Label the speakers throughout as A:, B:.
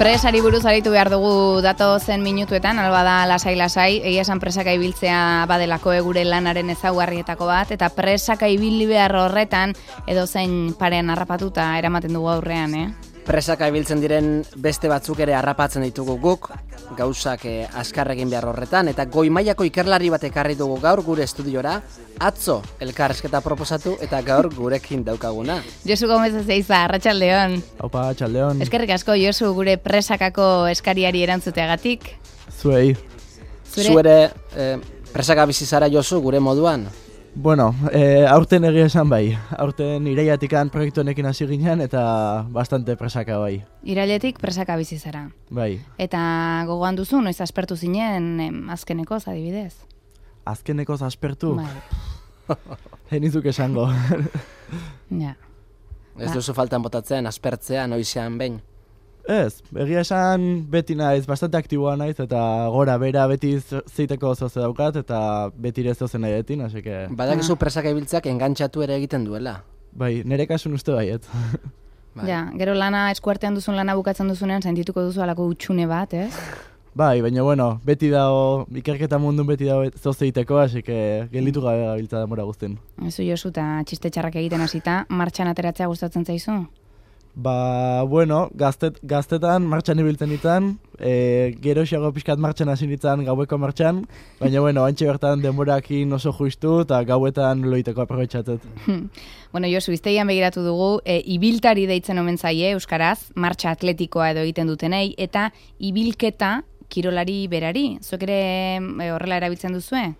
A: Presari buruz aritu behar dugu datozen minutuetan, alba da lasai-lasai, egia esan presaka ibiltzea badelako gure lanaren ezaugarrietako bat, eta presaka ibili behar horretan edozein parean harrapatuta eramaten dugu aurrean,
B: Presaka ibiltzen diren beste batzuk ere harrapatzen ditugu guk, gauzak azkarrekin behar horretan, eta goi mailako ikerlari bat ekarri dugu gaur gure estudiora, atzo elkarrezketa proposatu eta gaur gurekin daukaguna.
A: Josu Gomez Ezeiza, arratsaldeon.
C: Aupa, arratsaldeon.
A: Eskerrik asko, Josu, gure presakako eskariari erantzuteagatik.
C: Zuei.
B: Zuere presaka bizi zara, Josu, gure moduan?
C: Bueno, aurten egia esan bai. Aurten iraiatikan proiektu honekin hasi ginen eta bastante presaka bai.
A: Irailetik presaka bizi zara.
C: Bai.
A: Eta gogoan duzu, noiz aspertu zinen azkenekoz, adibidez?
C: Azkenekoz aspertu?
A: Bai.
C: Henizuk esango.
A: Ja.
B: Ez duzu faltan botatzen, aspertzea, noizean behin?
C: Ez, egia esan beti naiz, bastante aktiboa naiz eta gora bera beti zeiteko zoze daukat eta beti ere zoze nahi etin, hasi que...
B: Badakizu presaka ibiltzeak engantxatu ere egiten duela.
C: Bai, nire kasun uste baiet.
A: Bai. Ja, gero lana eskuartean duzun lana bukatzen duzunean sentituko duzu alako utxune bat, ez?
C: Bai, baina bueno, beti dago, ikerketa mundun beti dago zoze egiteko, hasi que gelditu gabe gabiltza denbora guztin.
A: Ezu Josu eta txiste txarrak egiten hasita, martxan ateratzea gustatzen zaizu?
C: Ba, bueno, gaztetan martxan ibiltzen ditan, gero xago pixkat martxan hasi nintzen gaueko martxan, baina bueno, antxe bertan denborakin oso justu eta gauetan loiteko aprobetxatzet.
A: Bueno, Josu, iztegian begiratu dugu, ibiltari deitzen omen zaie, euskaraz, martxa atletikoa edo egiten dutenei, eta ibilketa kirolari berari. Zuek ere horrela erabiltzen duzue?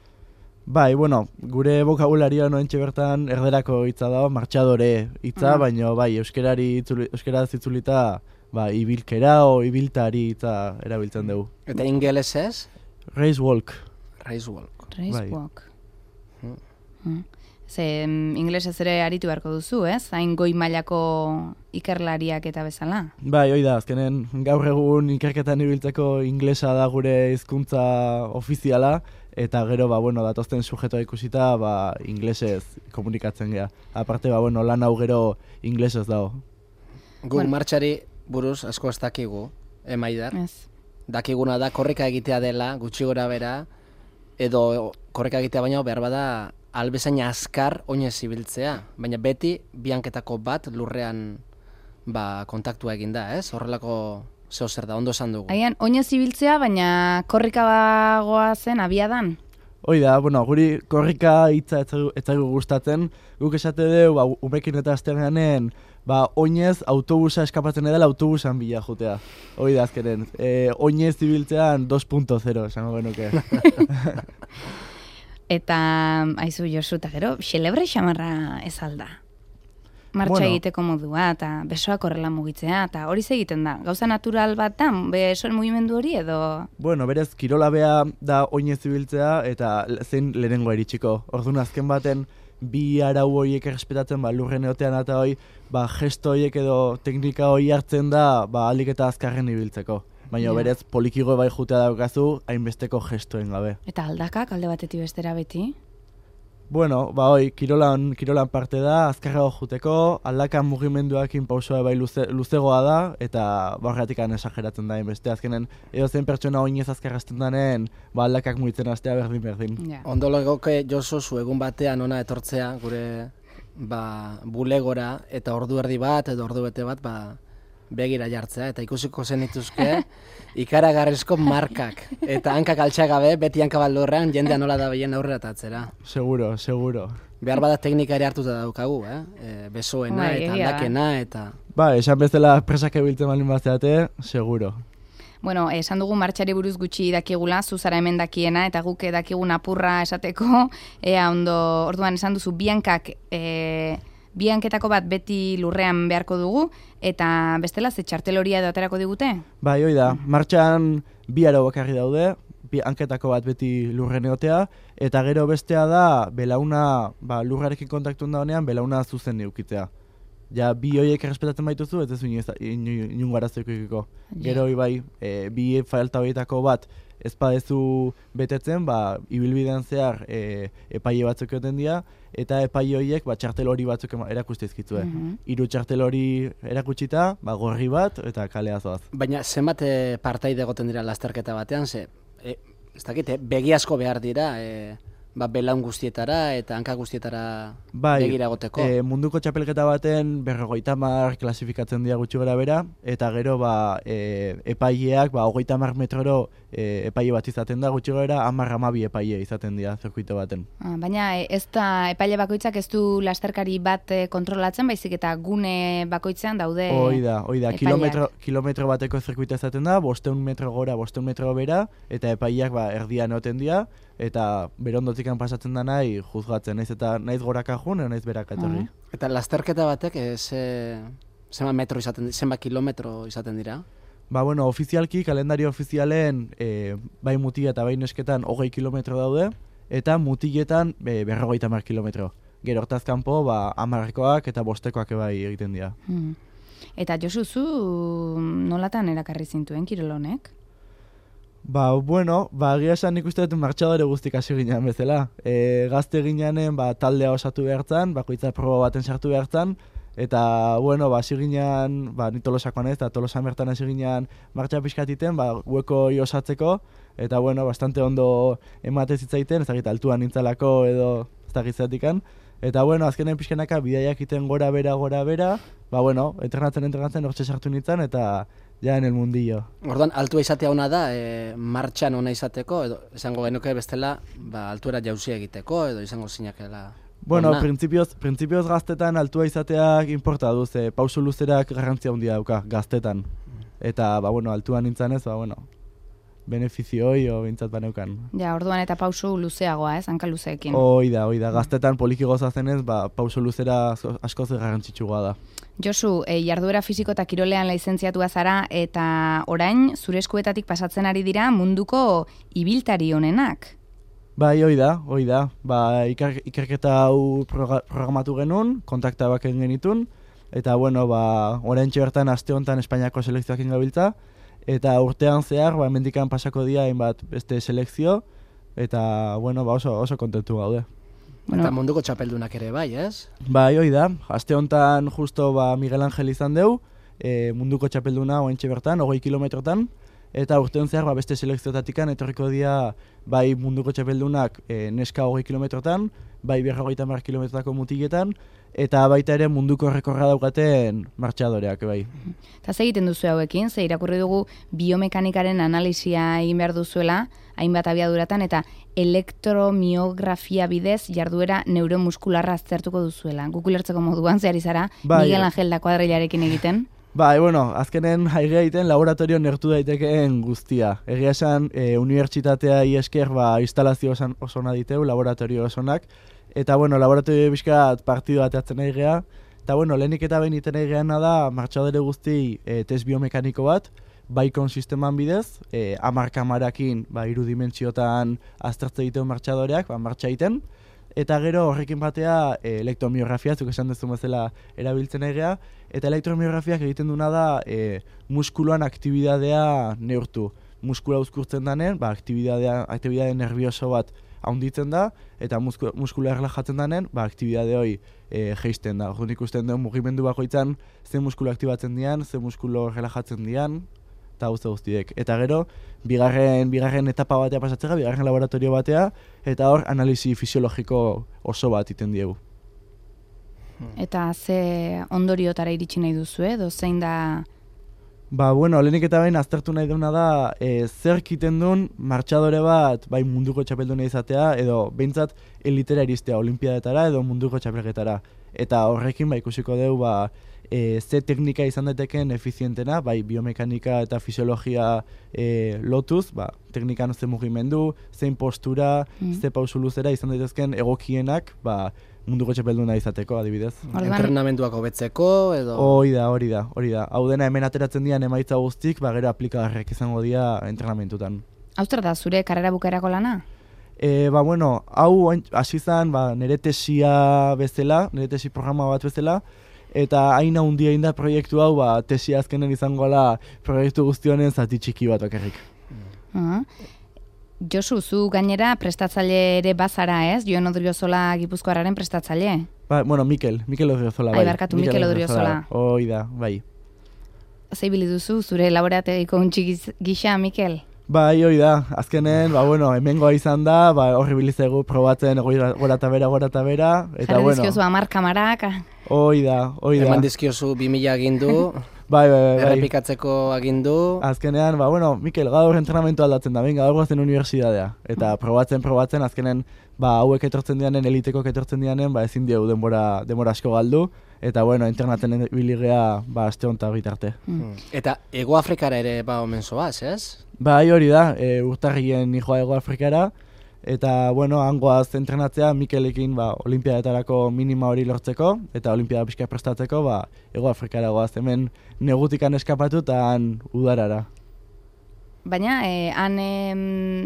C: Bai, bueno, gure bokabularia noentxe bertan erderako hitza da, martxadore hitza, baina bai, euskaraz itzulita, ba, ibilkera o ibiltari hitza erabiltzen dugu.
B: Eta ingelesez?
C: Race walk.
B: Race walk.
A: Race walk. Ze ingelesez ere aritu beharko duzu, ez? Hain goi mailako ikerlariak eta bezala.
C: Bai, hoi da, azkenen gaur egun ikerketan ibiltzeko inglesa da gure hizkuntza ofiziala, eta gero, ba, bueno, datozten sujetoa ikusita, ba, inglesez komunikatzen gea. Aparte, ba, bueno, lan hau gero inglesez dago.
B: Guk martxari buruz asko ez dakigu, Maidar?
A: Ez.
B: Dakiguna da korrika egitea dela, gutxi gora bera, edo korrika egitea baina behar bada albezain azkar oinez ibiltzea. Baina beti bianketako bat lurrean ba, kontaktua eginda, ez? Horrelako zeo zer da, ondo esan dugu.
A: Haian, oinez ibiltzea, baina korrika bagoa zen abiadan?
C: Hoi da, bueno, guri korrika hitza ez zaigu gustatzen, guk esate dugu, ba, umekin eta azterganen, ba, oinez autobusa eskapatzen edela autobusan bila jutea. Hoi da, azkenen, oinez ibiltzean 2.0, esango genuke.
A: Eta, aizu Josu, eta gero, xelebre xamarra ez alda. Martxa egiteko modua, eta besoak horrela mugitzea, eta hori egiten da. Gauza natural bat da, besoen mugimendu hori edo...
C: Bueno, berez, kirola bea da oinez ibiltzea, eta zein lehenengo iritsiko. Orduan azken baten, bi arau horiek errespetatzen, ba, lurren eotean eta hoi, ba, gesto horiek edo teknika hori hartzen da, ba, alik eta azkarren ibiltzeko. Baina berez, polikigo bai jutea daukazu, hainbesteko gestoen gabe.
A: Eta aldakak alde batetik bestera beti?
C: Bueno, ba hoi, kirolan parte da, azkarrago juteko, aldakan mugimenduakin pausoa bai luzegoa da, eta horretikan esageratzen da beste azkenen, edo zen pertsona oinez azkarrazten danen, ba aldakak mugitzen hastea berdin.
A: Yeah.
B: Ondo legoke Josu zu egun batean ona etortzea, gure ba, bulegora, eta ordu erdi bat, edo ordu bete bat, ba, begira jartzea, eta ikusiko zenituzke ikaragarrizko markak. Eta hankak altxagabe, beti hankabaldurrean, jendea nola da behien aurrera tatzera.
C: Seguro.
B: Behar bada teknika ere hartuta daukagu, besoena eta aldakena, eta...
C: Ba, esan bezala presak ebiltzen balin bazteate, seguro.
A: Bueno, esan dugu martxari buruz gutxi dakigula, zuzara hemen dakiena, eta guk dakigun apurra esateko, ondo, orduan esan duzu, bianketako bat beti lurrean beharko dugu, eta bestela ze txartel horia edo aterako digute?
C: Bai, hoi da, martxan bi aro bakarri daude, bianketako bat beti lurren egotea, eta gero bestea da, belauna, ba, lurrarekin kontaktuen da honean, belauna zuzen neukitzea. Ja, bi horiek errespetatzen baituzu, ez duzu inungo arazoikiko. Gero, bai, bi falta horietako bat, ez badezu betetzen, ibilbidean zehar epaile batzuk egoten dira, eta epaile horiek txartel hori batzuk erakustizkitzue. Hiru txartel hori erakutsita, gorri bat, eta kalea zoaz.
B: Baina, zenbat partaide egoten dira lasterketa batean, ez dakit, begi asko behar dira, belaun guztietara eta hanka guztietara begira egoteko.
C: Munduko txapelketa baten 50 klasifikatzen dira gutxi gara bera, eta gero epaileak 30 metroro epaile bat izaten da, gutxi gara 10-12 epaile izaten dira zirkuito baten.
A: Baina ez da epaile bakoitzak ez du lasterkari bat kontrolatzen, baizik eta gune bakoitzean daude
C: Hoi da, kilometro bateko zirkuito izaten da, 500 metro gora, 500 metro bera, eta epaileak erdian egoten dira, eta berondotikan pasatzen da nahi juzgatzen, naiz goraka jun, naiz beraka etorri.
B: Eta lasterketa batek zenbat kilometro izaten dira?
C: Ofizialki, kalendario ofizialen, bai mutila eta bai nesketan 20 kilometro daude, eta mutiletan 50 kilometro. Gero hortaz kanpo, 10koak eta 5koak bai egiten dira.
A: Eta Josu, zu nolatan erakarri zintuen kirol honek?
C: Egia esan nik uste dut martxadore guztik hasi ginean bezala. Gazte gineanen taldea osatu behartzen, bakoitza proba baten sartu behartzen, eta hasi ginean, ni Tolosakoan ez, eta Tolosan bertan hasi ginean martxa pixkatiten, hueko osatzeko, eta bastante ondo emate zitzaiten, ez dakit altuan nintzalako edo ez dakit zatikan. Eta azkenen pixkanaka bidaiak iten gora bera, entrenatzen hortxe sartu nintzen, eta ja en el mundillo.
B: Orduan, altua izatea ona da, martxan ona izateko, edo izango genuke bestela, altuera jauzi egiteko, edo izango zinakela.
C: Printzipioz gaztetan altua izateak inporta du, pausu luzerak garrantzia handia dauka, gaztetan. Eta, altuan nintzen ez, benefizioi o bintzat baneukan.
A: Ja, orduan eta pausu luzeagoa, hanka luzeekin.
C: Hoi da, gaztetan poliki gozazenez, pausu luzera askoz garrantzitsua da.
A: Josu, jarduera fisiko eta kirolean lizentziatua zara, eta orain zure eskuetatik pasatzen ari dira munduko ibiltari honenak.
C: Hoi da. Ikerketa hau programatu genuen, kontakta baken genitun, eta orain bertan aste honetan Espainiako selekzioak ingabiltza, eta urtean zehar, hemendikan pasako dira hainbat beste selekzio, eta oso kontentu gaude.
B: Eta munduko txapeldunak ere bai, ez?
C: Hoi da. Aste honetan justo Miguel Angel izan deu, munduko txapelduna oentxe bertan, 20 kilometrotan, eta urtean zehar beste selekziotatikan etorriko dira bai munduko txapeldunak neska 20 kilometrotan, bai 50 kilometrotako mutiletan, eta baita ere munduko errekorra daukaten martxadoreak, bai.
A: Eta ze egiten duzu hauekin, ze irakurri dugu biomekanikaren analisia egin behar duzuela, hainbat abiaduratan, eta elektromiografia bidez jarduera neuromuskularra aztertuko duzuela. Guk ulertzeko moduan, zehar izara, Miguel Angel da kuadrilarekin egiten.
C: Azkenen haigia egiten laboratorio nertu daitekeen guztia. Egia esan, unibertsitatea esker instalazio osona diteu, laboratorio osonak, eta laboratorio bizkat partidu bateatzen haigia, eta lehenik eta behin iten haigeana da martxadore guzti test biomekaniko bat, baikon sisteman bidez, 10 kamarakin irudimentsiotan aztertze egiten martxadoreak, martxa egiten, eta gero horrekin batea elektromiografia, zuk esan dezun bezala erabiltzen egia, eta elektromiografiak egiten duna da muskuluan aktibidadea neurtu. Muskula uzkurtzen danen, aktibidade nervioso bat haunditzen da, eta muskula erlajatzen danen, aktibidade hori geisten da. Orduan ikusten duen mugimendu bakoitzan, ze muskulu aktibatzen dian, ze muskulu relajatzen dian, eta guztiek. Eta gero, bigarren etapa batea pasatzera, bigarren laboratorio batea, eta hor analisi fisiologiko oso bat iten diegu.
A: Eta ze ondoriotara iritsi nahi duzu, edo zein da...
C: Lehenik eta behin aztertu nahi duna da, zer kiten duen martxadore bat, munduko txapelduna izatea, edo behintzat elitera iristea, olimpiadetara edo munduko txapelketara. Eta horrekin ikusiko dugu, ze teknika izan daiteken efizientena, biomekanika eta fisiologia lotuz, teknikan ze mugimendu, zein postura, ze pausu luzera izan daitezken egokienak, munduko txapelduna izateko, adibidez.
B: Entrenamenduak hobetzeko, edo...
C: Hori da. Hau dena hemen ateratzen dian emaitza guztik, gero aplikagarrek izango dira entrenamentutan.
A: Hau zer da, zure karrera bukaerako lana?
C: Hau hasi zen nire tesia bezala, nire tesi programa bat bezala, eta hain handia da proiektu hau, tesi azkenen izango ala proiektu guztionen zati txiki bat bakarrik.
A: Josu, zu gainera prestatzaile ere bazara, ez? Jon Odriozola Gipuzkoarraren prestatzaile.
C: Bueno, Mikel Odriozola, bai.
A: Ai, barkatu, Mikel Odriozola.
C: Hoi da, bai.
A: Zeibili duzu, zure laborategiko untxi gisa, Mikel?
C: Bai, hoi da, azkenen, hemengoa izan da, horri bilizegu probatzen gora eta bera, eta
A: Jarri dizkiozu 10 kamarak.
C: Hoi da.
B: Eman dizkiozu 2000 agindu,
C: bai.
B: Errepikatzeko agindu.
C: Azkenean, Mikel, gaur entrenamentu aldatzen da, gaur goazen unibertsitatea. Eta probatzen, azkenen, hauek etortzen dianen, eliteko etortzen dianen, ezin diegu denbora asko galdu. Eta, internaten biligea, aste honetan bitarte.
B: Eta Ego Afrikara ere omen zoaz, ez?
C: Bai, hori da, urtarrien nijoa Ego Afrikara. Eta, hangoaz entrenatzea, Mikelekin, olimpiadetarako minima hori lortzeko, eta olimpiada pixka prestatzeko, Ego Afrikara goaz, hemen negutikan eskapatu eta han udarara.
A: Baina, han,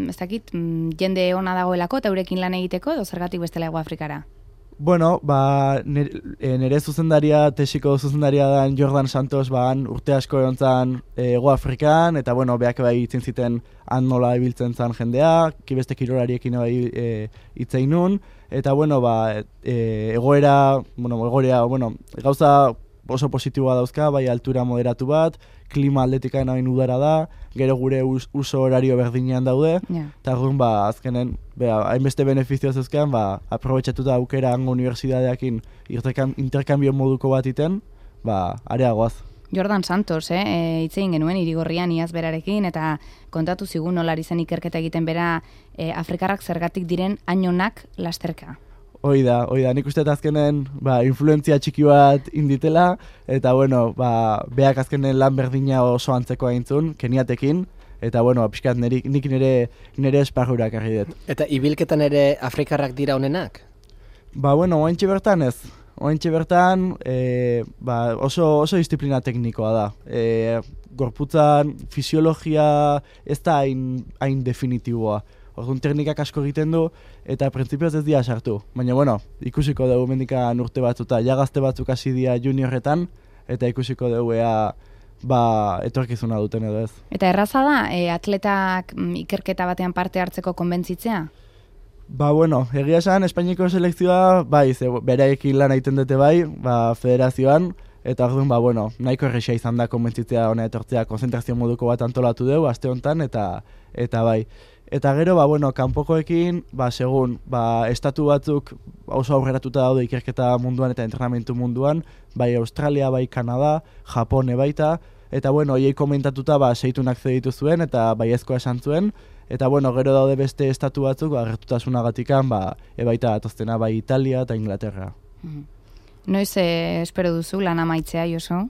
A: ez dakit, jende ona dagoelako, eta eurekin lan egiteko, edo zergatik bestela Ego Afrikara?
C: Nire zuzendaria, tesiko zuzendaria da Jordan Santos, han urte asko egon zan Ego Afrikan, eta beak bai itzen ziten han nola ibiltzen zan jendea, beste kirolariekin bai itzein nun, eta egoera, gauza oso positiboa dauzka, bai altura moderatu bat, klima aldetikaen hain udara da, gero gure uso horario berdinean daude, eta azkenen, hainbeste benefizioa zeuzkean, aprobetxatuta aukera hango unibertsitateakin interkambio moduko bat iten, areagoaz.
A: Jordan Santos, hitzein genuen Irigorrian iaz berarekin, eta kontatu zigun nolari zen ikerketa egiten bera Afrikarrak zergatik diren hainonak lasterka.
C: Hoi da, nik uste azkenen influentzia txiki bat inditela, eta beak azkenen lan berdina oso antzeko aintzun, Keniatekin, eta pixkat nik nire esparrurak argi dut.
B: Eta ibilketan ere Afrikarrak dira honenak?
C: Oaintxe bertan ez. Oaintxe bertan oso disiplina teknikoa da. Gorputzan fisiologia ez da hain definitiboa. Orduan teknikak asko egiten du, eta printzipioz ez dira sartu. Baina, ikusiko dugu mendikan urte batzuta, gazte batzuk hasi dira juniorretan, eta ikusiko dugu etorkizuna duten edo ez.
A: Eta erraza da, atletak ikerketa batean parte hartzeko konbentzitzea?
C: Egia esan, Espainiko selekzioa, beraekin lan egiten dute federazioan, eta orduan, nahiko errexea izan da konbentzitzea hona etortzea, konzentrazio moduko bat antolatu dugu, aste honetan, eta bai. Eta gero, kanpokoekin, segun, estatu batzuk oso aurreratuta daude ikerketa munduan eta entrenamentu munduan, bai Australia, bai Kanada, Japone baita, eta hoiei komentatuta seitunak zeditu zuen eta baiezkoa esan zuen, eta gero daude beste estatu batzuk, gertutasunagatikan, ebaita atoztena, bai Italia eta Inglaterra.
A: Noiz espero duzu lan amaitzea, Josu?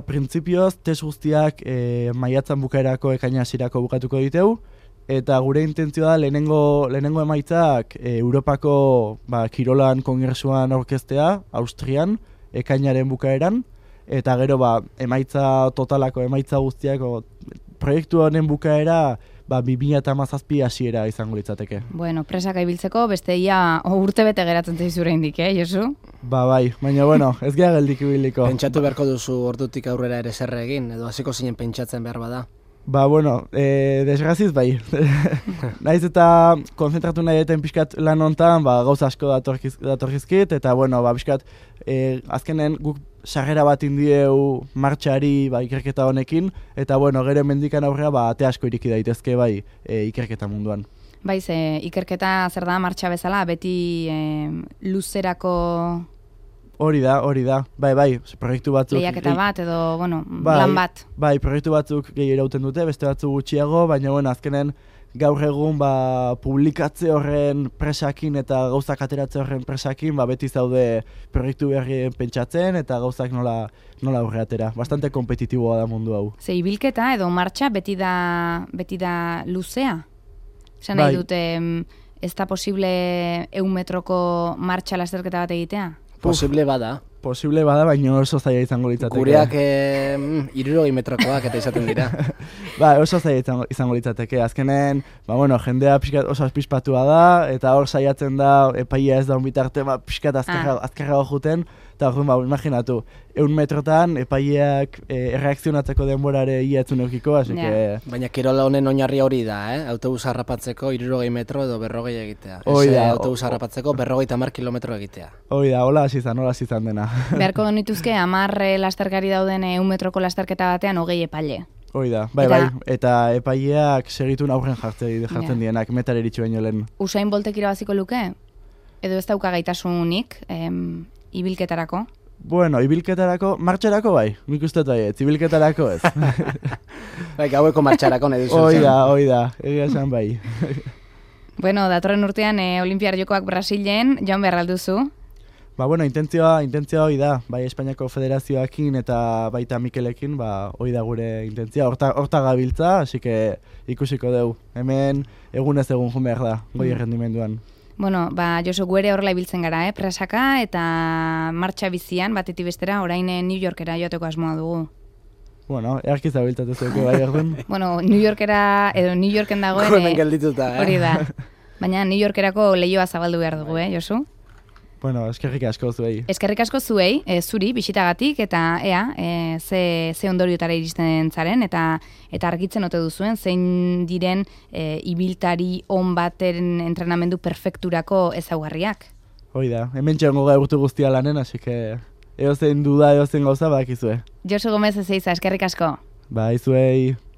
C: Printzipioz, test guztiak maiatzan bukaerako ekaina hasierako bukatuko diteu, eta gure intentzioa da lehenengo emaitzak Europako kirolan kongresuan aurkeztea, Austrian, ekainaren bukaeran, eta gero emaitza totalako, emaitza guztiako proiektu honen bukaera 2017 hasiera izango litzateke.
A: Presaka ibiltzeko beste ia urte bete geratzen zaizure indik, Josu?
C: Bai, baina ez gara geldik ibiliko.
B: Pentsatu beharko duzu ordutik aurrera ere zer egin, edo hasiko zinen pentsatzen behar bada.
C: Desgraziz bai. Naiz eta konzentratu nahi eten pixkat lan hontan, gauza asko datorkizkit, eta pixkat azkenen guk sarrera bat indieu martxari ikerketa honekin, eta gero mendikan aurrera ate asko iriki daitezke ikerketa munduan.
A: Ikerketa zer da martxa bezala, beti luzerako...
C: Hori da, proiektu batzuk...
A: Lehiaketa bat edo, lan bat.
C: Proiektu batzuk gehi irauten dute, beste batzuk gutxiago, baina azkenen gaur egun publikatze horren presakin eta gauzak ateratze horren presakin, beti zaude proiektu berrien pentsatzen eta gauzak nola aurre atera. Bastante kompetitiboa da mundu hau. Ibilketa
A: edo martxa beti da luzea? Esan nahi dute, ez da posible 100 metroko martxa lasterketa bat egitea?
B: Posible bada,
C: baina oso zaila izango litzateke.
B: Gureak 60 metrokoak eta izaten dira.
C: Oso zaila izango litzateke. Azkenen, jendea oso azpispatua da, eta hor saiatzen da, epaia ez da bitarte, pixkat azkarrago juten, eta orduan, imaginatu, 100 metrotan epaileak erreakzionatzeko denborare ia etzun eukiko, así que...
B: Baina kirola honen oinarria hori da, autobus harrapatzeko 60 metro edo 40 egitea.
C: Hoi da,
B: autobus harrapatzeko 50 kilometro egitea.
C: Hoi da, hola hasi izan dena.
A: Beharko genituzke 10 lasterkari dauden 100 metroko lasterketa batean 20 epaile.
C: Hoi da, bai, eta epaileak segitun aurren jartzen dienak, metar eritxu baino lehen.
A: Usain Boltek irabaziko luke? Edo ez dauka gaitasunik ibilketarako?
C: Bueno, ibilketarako, martxarako bai, nik uste ez, ibilketarako ez.
B: Bai, gaueko martxarako nahi duzu.
C: Hoi da, egia esan bai.
A: Bueno, datorren urtean Olimpiar Jokoak Brasilen, joan behar alduzu?
C: Ba, bueno, intentzioa hoi da, bai Espainiako Federazioakin eta baita Mikelekin, ba, hoi da gure intentzioa, horta gabiltza, así que ikusiko dugu. Hemen egunez egun jun behar da, goi errendimenduan.
A: Bueno, ba, Josu, guere horrela ibiltzen gara, presaka eta martxa bizian, batetik bestera, orain New Yorkera joateko asmoa dugu.
C: Bueno, earkiz abiltatu zuke bai erden.
A: Bueno, New Yorkera, edo New Yorken dagoen...
B: Hemen geldituta,
A: Hori da. Baina New Yorkerako lehioa zabaldu behar dugu, Josu?
C: Bueno, eskerrik asko zuei.
A: Eskerrik asko zuei, zuri, bisitagatik, eta ze ondoriotara iristen zaren, eta argitzen ote duzuen, zein diren ibiltari on baten entrenamendu perfekturako ezaugarriak.
C: Hoi da, hemen txango gaurtu guztia lanen, así que eozein duda, eozein gauza bakizue.
A: Josu Gomez ezeiza, eskerrik asko.
C: Bai, zuei.